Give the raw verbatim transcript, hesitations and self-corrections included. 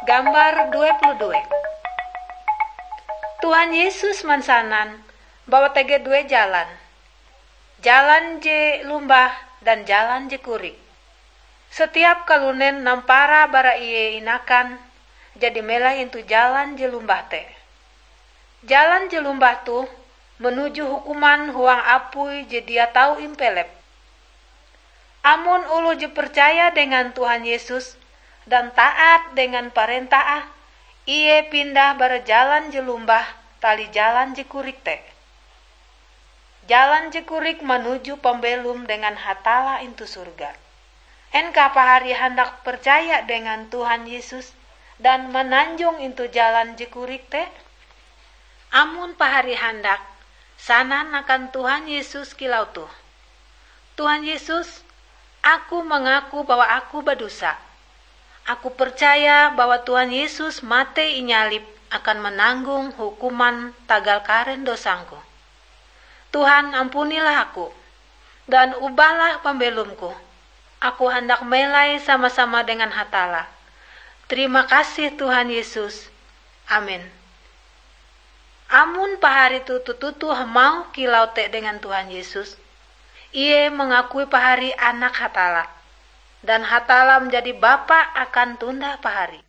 Gambar dua puluh dua. Tuhan Yesus mansanan bahwa tege due jalan. Jalan je lumbah dan jalan je korik. Setiap kalunen nampara bara ie inakan, jadi melai intu jalan je lumbah te. Jalan je lumbah toh menuju hukuman huang apui je dia tau impelep. Amon oloh je percaya dengan Tuhan Yesus dan taat dengan parentah, ie pindah bara jalan je lumbah tali jalan je korik te. Jalan je korik manuju pambelom dengan Hatalla intu sorga. En kah pahari handak percaya dengan Tuhan Yesus dan mananjong intu jalan je korik te? Amon pahari handak, sanan akan Tuhan Yesus kilau toh, "Tuhan Yesus, aku mangaku bahwa aku badosa. Aku percaya bahwa Tuhan Yesus mate inyalib akan mananggong hukuman tagal karen dosangku. Tuhan, ampunilah aku, dan ubahlah pambelomku. Aku handak melai sama-sama dengan Hatalla. Terima kasih, Tuhan Yesus. Amin." Amon pahari toh toto-toto hamauh kilau te dengan Tuhan Yesus, ie mangakui pahari Anak Hatalla, dan Hatalla manjadi Bapa akan tonda pahari.